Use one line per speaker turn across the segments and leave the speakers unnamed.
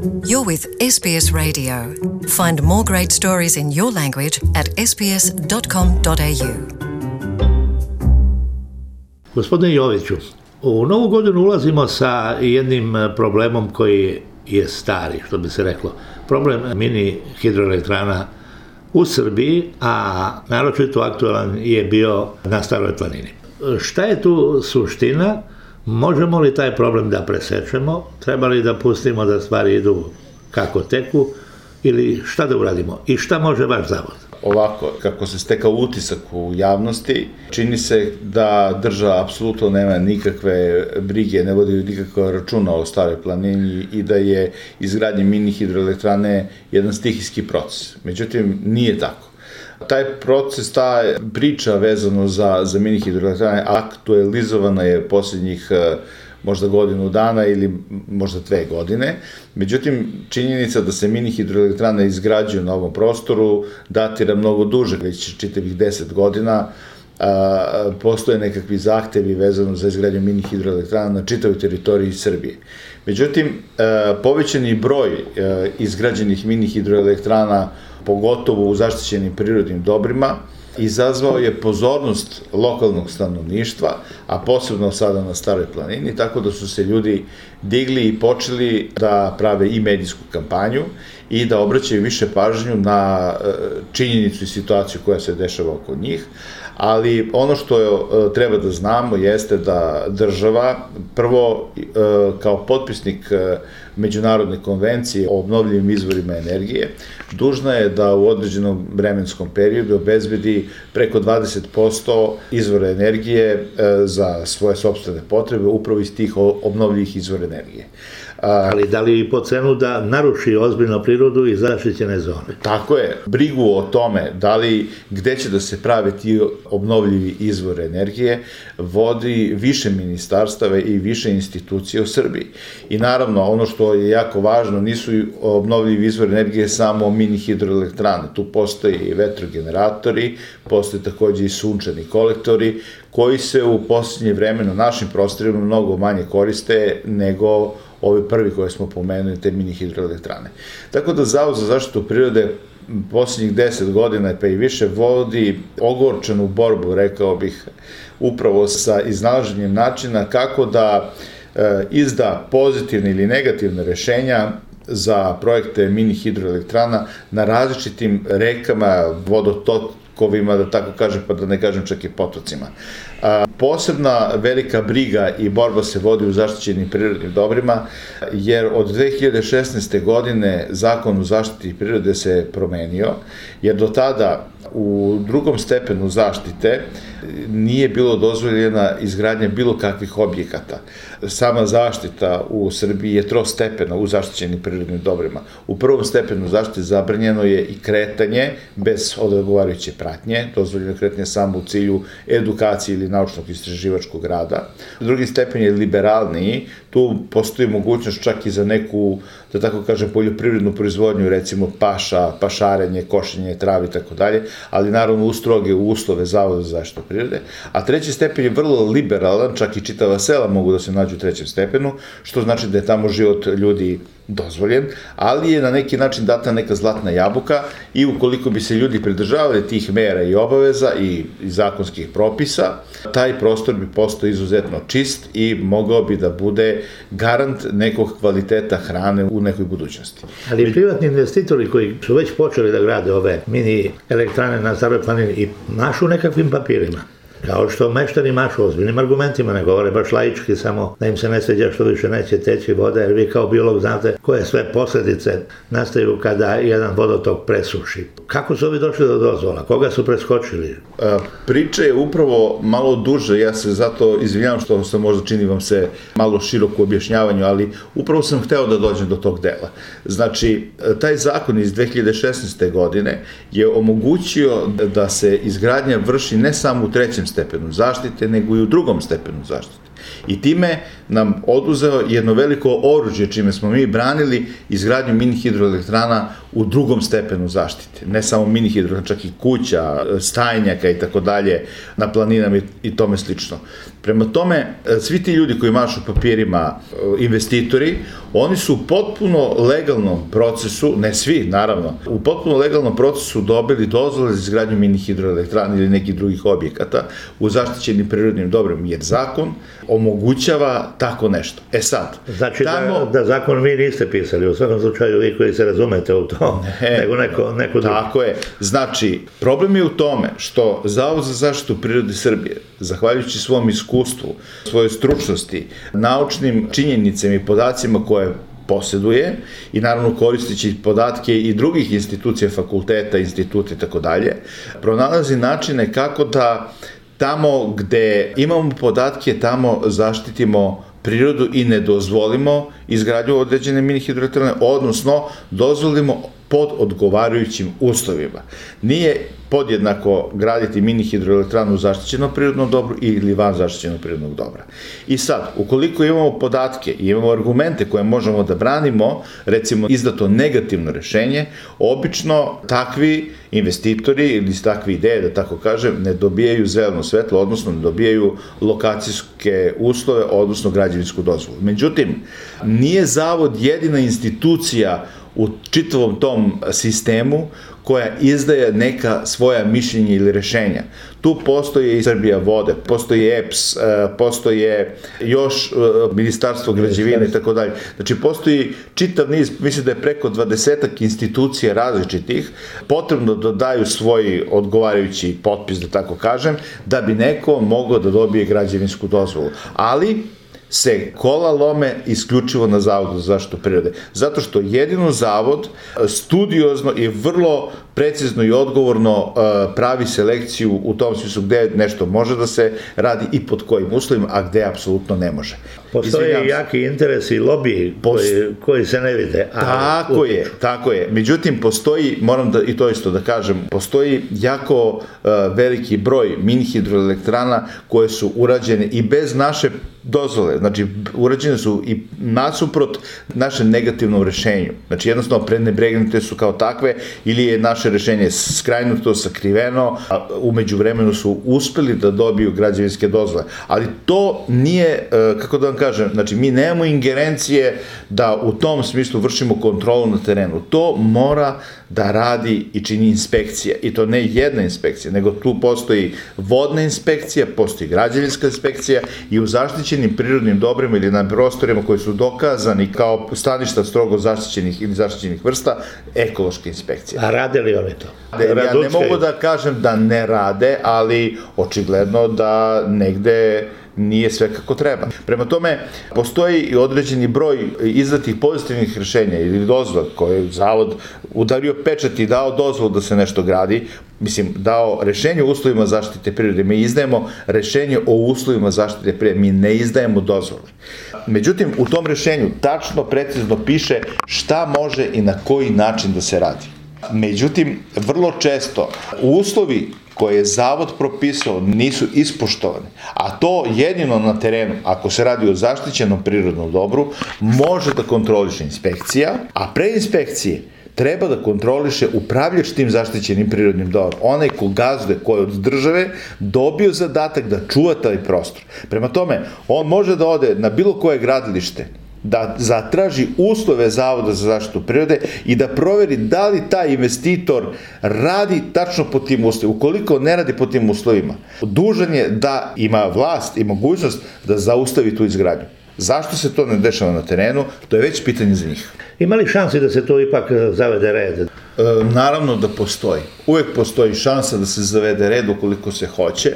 You're with SBS Radio. Find more great stories in your language at sbs.com.au.
Gospodine Joviću, u novu godinu ulazimo sa jednim problemom koji je stari, što bi se reklo. Problem mini hidroelektrana u Srbiji, a naročito aktualan je bio na Staroj planini. Šta je tu suština? Možemo li taj problem da presečemo? Treba li da pustimo da stvari idu kako teku? Ili šta da uradimo? I šta može vaš zavod?
Ovako, kako se stekao utisak u javnosti, čini se da država apsolutno nema nikakve brige, ne vodi nikakva računa o Staroj planini i da je izgradnje mini hidroelektrane jedan stihijski proces. Međutim, nije tako. Taj proces, ta priča vezano za mini hidroelektrane aktualizovana je posljednjih možda godinu dana ili možda 2 godine. Međutim, činjenica da se mini hidroelektrane izgrađuju na ovom prostoru datira mnogo duže, već čitavih 10 godina. Postoje nekakvi zahtevi vezano za izgradnju mini hidroelektrana na čitavoj teritoriji Srbije. Međutim, povećani broj izgrađenih mini hidroelektrana, pogotovo u zaštićenim prirodnim dobrima, izazvao je pozornost lokalnog stanovništva, a posebno sada na Staroj planini, tako da su se ljudi digli i počeli da prave i medijsku kampanju i da obraćaju više pažnju na činjenicu i situaciju koja se dešava oko njih. Ali ono što treba da znamo jeste da država, prvo kao potpisnik Međunarodne konvencije o obnovljivim izvorima energije, dužna je da u određenom vremenskom periodu obezbedi preko 20% izvora energije za svoje sopstvene potrebe, upravo iz tih obnovljivih izvora energije.
Ali da li i po cenu da naruši ozbiljno prirodu i zaštićene zone?
Tako je. Brigu o tome gde će da se prave ti obnovljivi izvori energije vodi više ministarstava i više institucija u Srbiji. I naravno, ono što je jako važno, nisu obnovljivi izvori energije samo mini hidroelektrane. Tu postoje i vetrogeneratori, postoje takođe i sunčani kolektori, koji se u posljednje vreme na našim prostorima mnogo manje koriste nego ovi prvi koje smo pomenuli, te mini hidroelektrane. Tako da Zavod za zaštitu prirode posljednjih 10 godina pa i više vodi ogorčenu borbu, rekao bih, upravo sa iznalaženjem načina kako da izda pozitivne ili negativne rešenja za projekte mini hidroelektrana na različitim rekama, vodotokovima, da tako kažem, pa da ne kažem čak i potocima. Posebna velika briga i borba se vodi u zaštićenim prirodnim dobrima, jer od 2016. godine Zakon o zaštiti prirode se promenio, jer do tada u drugom stepenu zaštite nije bilo dozvoljena izgradnja bilo kakvih objekata. Sama zaštita u Srbiji je trostepena u zaštićenim prirodnim dobrima. U prvom stepenu zaštite zabranjeno je i kretanje bez odgovarajuće pratnje, dozvoljeno kretanje samo u cilju edukacije ili naučnog istraživačkog rada. Drugi stepen je liberalniji, tu postoji mogućnost čak i za neku, da tako kažem, poljoprivrednu proizvodnju, recimo paša, pašarenje, košenje travi i tako dalje, ali naravno u stroge uslove Zavoda za zaštitu prirode. A treći stepen je vrlo liberalan, čak i čitava sela mogu da se nađu u trećem stepenu, što znači da je tamo život ljudi dozvoljen, ali je na neki način data neka zlatna jabuka i ukoliko bi se ljudi pridržavali tih mera i obaveza i zakonskih propisa, taj prostor bi postao izuzetno čist i mogao bi da bude garant nekog kvaliteta hrane u nekoj budućnosti.
Ali privatni investitori koji su već počeli da grade ove mini elektrane na Staroj planini i mašu nekakvim papirima, kao što meštani mašu ozbiljnim argumentima, ne govore baš laički, samo da im se ne sviđa što više neće teći voda, jer vi kao biolog znate koje sve posledice nastaju kada jedan vodotok presuši. Kako su ovi došli do dozvola? Koga su preskočili?
Priča je upravo malo duže, ja se zato izvinjavam što se možda čini vam se malo široko u objašnjavanju, ali upravo sam hteo da dođem do tog dela. Znači, taj zakon iz 2016. godine je omogućio da se izgradnja vrši ne samo u trećem stepenu zaštite, nego i u drugom stepenu zaštite. I time nam oduzeo jedno veliko oružje čime smo mi branili izgradnju mini hidroelektrana u drugom stepenu zaštite. Ne samo mini hidroelektrana, čak i kuća, stajnjaka i tako dalje na planinama i tome slično. Prema tome, svi ti ljudi koji mašu papirima, investitori, oni su u potpuno legalnom procesu, ne svi naravno, u potpuno legalnom procesu dobili dozvole za izgradnju mini hidroelektrana ili nekih drugih objekata u zaštićenim prirodnim dobrima, jer zakon omogućava tako nešto. E sad,
znači da zakon vi niste pisali, u svakom slučaju vi koji se razumete u to, nego neko drugi.
Tako je. Znači, problem je u tome što Zavod za zaštitu prirode Srbije, zahvaljujući svom iskustvu, svojoj stručnosti, naučnim činjenicama i podacima koje posjeduje i naravno koristeći podatke i drugih institucija, fakulteta, instituta i tako dalje, pronalazi načine kako da tamo gde imamo podatke, tamo zaštitimo prirodu i ne dozvolimo izgradnju određene mini hidroelektrane, odnosno dozvolimo pod odgovarajućim uslovima. Nije podjednako graditi mini hidroelektranu u zaštićenom prirodnom dobru ili van zaštićenog prirodnog dobra. I sad, ukoliko imamo podatke i imamo argumente koje možemo da branimo, recimo izdato negativno rešenje, obično takvi investitori ili takve ideje, da tako kažem, ne dobijaju zeleno svetlo, odnosno ne dobijaju lokacijske uslove, odnosno građevinsku dozvolu. Međutim, nije zavod jedina institucija u čitavom tom sistemu koja izdaje neka svoja mišljenja ili rešenja. Tu postoje i Srbija vode, postoji EPS, postoje još Ministarstvo građevine i tako dalje. Znači, postoji čitav niz, mislim da je preko 20 institucija različitih, potrebno da daju svoj odgovarajući potpis, da tako kažem, da bi neko mogao da dobije građevinsku dozvolu. Ali se kola lome isključivo na Zavodu za zaštitu prirode. Zato što jedino zavod studiozno i vrlo precizno i odgovorno pravi selekciju u tom smislu gde nešto može da se radi i pod kojim uslovima, a gde apsolutno ne može.
Postoje jaki interesi i lobiji koji se ne vide.
Tako je. Međutim, postoji, moram i to isto da kažem, postoji jako veliki broj mini hidroelektrana koje su urađene i bez naše dozvole, znači urađene su i nasuprot našem negativnom rešenju. Znači jednostavno prenebregnute su kao takve ili je naše rešenje skrajnuto, sakriveno, a umeđu vremenu su uspeli da dobiju građevinske dozvole. Ali to nije, kako da vam kažem, znači mi nemamo ingerencije da u tom smislu vršimo kontrolu na terenu. To mora da radi i čini inspekcija. I to ne jedna inspekcija, nego tu postoji vodna inspekcija, postoji građevinska inspekcija i u zaštićenim prirodnim dobrima ili na prostorima koji su dokazani kao staništa strogo zaštićenih ili zaštićenih vrsta, ekološka inspekcija.
A rade li oni to?
Ja ne mogu da kažem da ne rade, ali očigledno da negde nije sve kako treba. Prema tome, postoji i određeni broj izdatih pozitivnih rešenja ili dozvola koje je zavod udario pečat i dao dozvolu da se nešto gradi, dao rešenje o uslovima zaštite prirode. Mi izdajemo rešenje o uslovima zaštite prirode, mi ne izdajemo dozvole. Međutim, u tom rešenju tačno, precizno piše šta može i na koji način da se radi. Međutim, vrlo često uslovi koje je zavod propisao nisu ispoštovane, a to jedino na terenu, ako se radi o zaštićenom prirodnom dobru, može da kontroliše inspekcija, a pre inspekcije treba da kontroliše upravljač tim zaštićenim prirodnim dobrom, onaj ko gazduje, ko je od države dobio zadatak da čuva taj prostor. Prema tome, on može da ode na bilo koje gradilište, da zatraži uslove Zavoda za zaštitu prirode i da proveri da li taj investitor radi tačno po tim uslovima. Ukoliko ne radi po tim uslovima, dužan je da ima vlast i mogućnost da zaustavi tu izgradnju. Zašto se to ne dešava na terenu, to je već pitanje za njih.
Ima li šansi da se to ipak zavede red?
Naravno da postoji. Uvek postoji šansa da se zavede red ukoliko se hoće.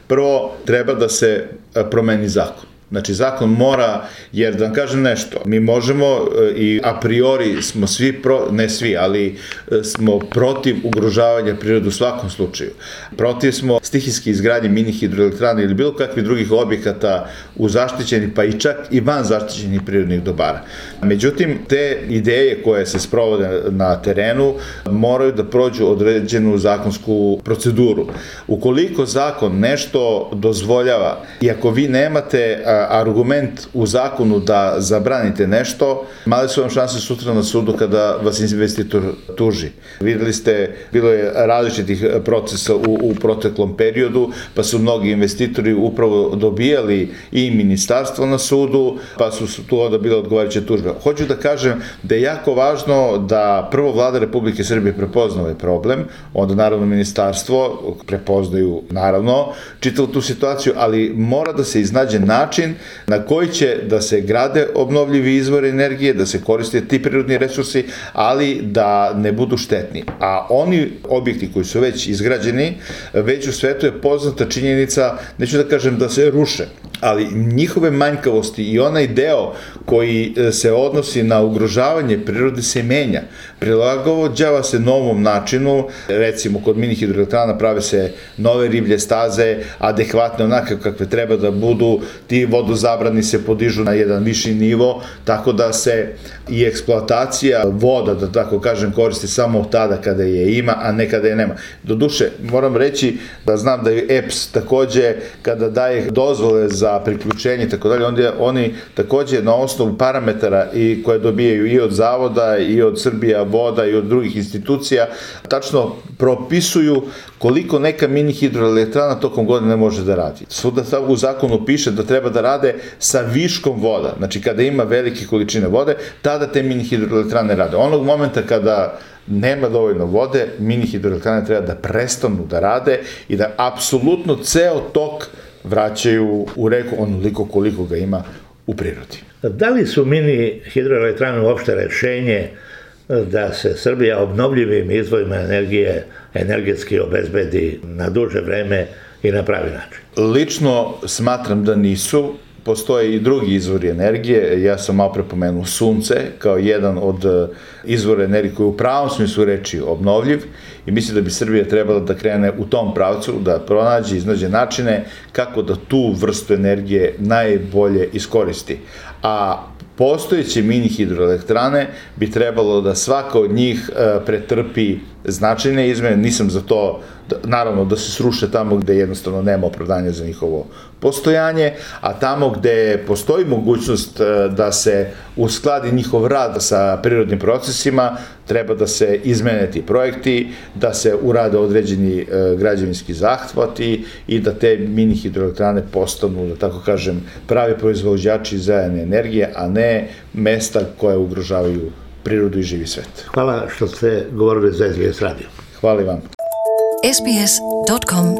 Prvo, treba da se promeni zakon. Znači, zakon mora, jer da vam kažem nešto, mi možemo i a priori smo svi, ne svi, ali smo protiv ugrožavanja prirode u svakom slučaju. Protiv smo stihijske izgradnje mini hidroelektrana ili bilo kakvih drugih objekata u zaštićenih, pa i čak i van zaštićenih prirodnih dobara. Međutim, te ideje koje se sprovode na terenu moraju da prođu određenu zakonsku proceduru. Ukoliko zakon nešto dozvoljava i ako vi nemate argument u zakonu da zabranite nešto, male su vam šanse sutra na sudu kada vas investitor tuži. Videli ste, bilo je različitih procesa u proteklom periodu, pa su mnogi investitori upravo dobijali i ministarstvo na sudu, pa su tu onda bile odgovarajuće tužbe. Hoću da kažem da je jako važno da prvo vlada Republike Srbije prepozna ovaj problem, onda naravno ministarstvo prepoznaju naravno čitavu tu situaciju, ali mora da se iznađe način na koji će da se grade obnovljivi izvori energije, da se koriste ti prirodni resursi, ali da ne budu štetni. A oni objekti koji su već izgrađeni, već u svetu je poznata činjenica, neću da kažem da se ruše, ali njihove manjkavosti i onaj deo koji se odnosi na ugrožavanje prirode se menja. Prilagođava se novom načinu, recimo kod mini hidroelektrana prave se nove riblje staze, adekvatne onake kakve treba da budu, ti vodozabrani se podižu na jedan viši nivo, tako da se i eksploatacija voda, da tako kažem, koristi samo tada kada je ima, a ne kada je nema. Doduše, moram reći da znam da je EPS takođe, kada daje dozvole za priključenje i tako dalje, onda oni takođe na osnovu parametara i koje dobijaju i od zavoda i od Srbija voda i od drugih institucija, tačno propisuju koliko neka mini hidroelektrana tokom godine može da radi. Svuda u zakonu piše da treba da rade sa viškom voda, znači kada ima velike količine vode, tada te mini hidroelektrane rade. Onog momenta kada nema dovoljno vode, mini hidroelektrane treba da prestanu da rade i da apsolutno ceo tok vraćaju u reku onoliko koliko ga ima u prirodi.
Da li su mini hidroelektrane uopšte rešenje da se Srbija obnovljivim izvorima energije energetski obezbedi na duže vreme i na pravi način?
Lično smatram da nisu. Postoje i drugi izvori energije, ja sam malo prepomenuo sunce kao jedan od izvora energije koji u pravom smislu reči obnovljiv i mislim da bi Srbija trebala da krene u tom pravcu, da pronađe, iznađe načine kako da tu vrstu energije najbolje iskoristi. A postojeće mini hidroelektrane bi trebalo da svaka od njih pretrpi značajne izmene, nisam za to, naravno da se sruše tamo gde jednostavno nema opravdanja za njihovo postojanje, a tamo gde postoji mogućnost da se uskladi njihov rad sa prirodnim procesima, treba da se izmene ti projekti, da se urade određeni građevinski zahvati i da te mini hidroelektrane postanu, da tako kažem, pravi proizvođači zelene energije, a ne mesta koje ugrožavaju prirodu i živi svet.
Hvala što ste govorili za SBS radio.
Hvala vam.
sbs.com.au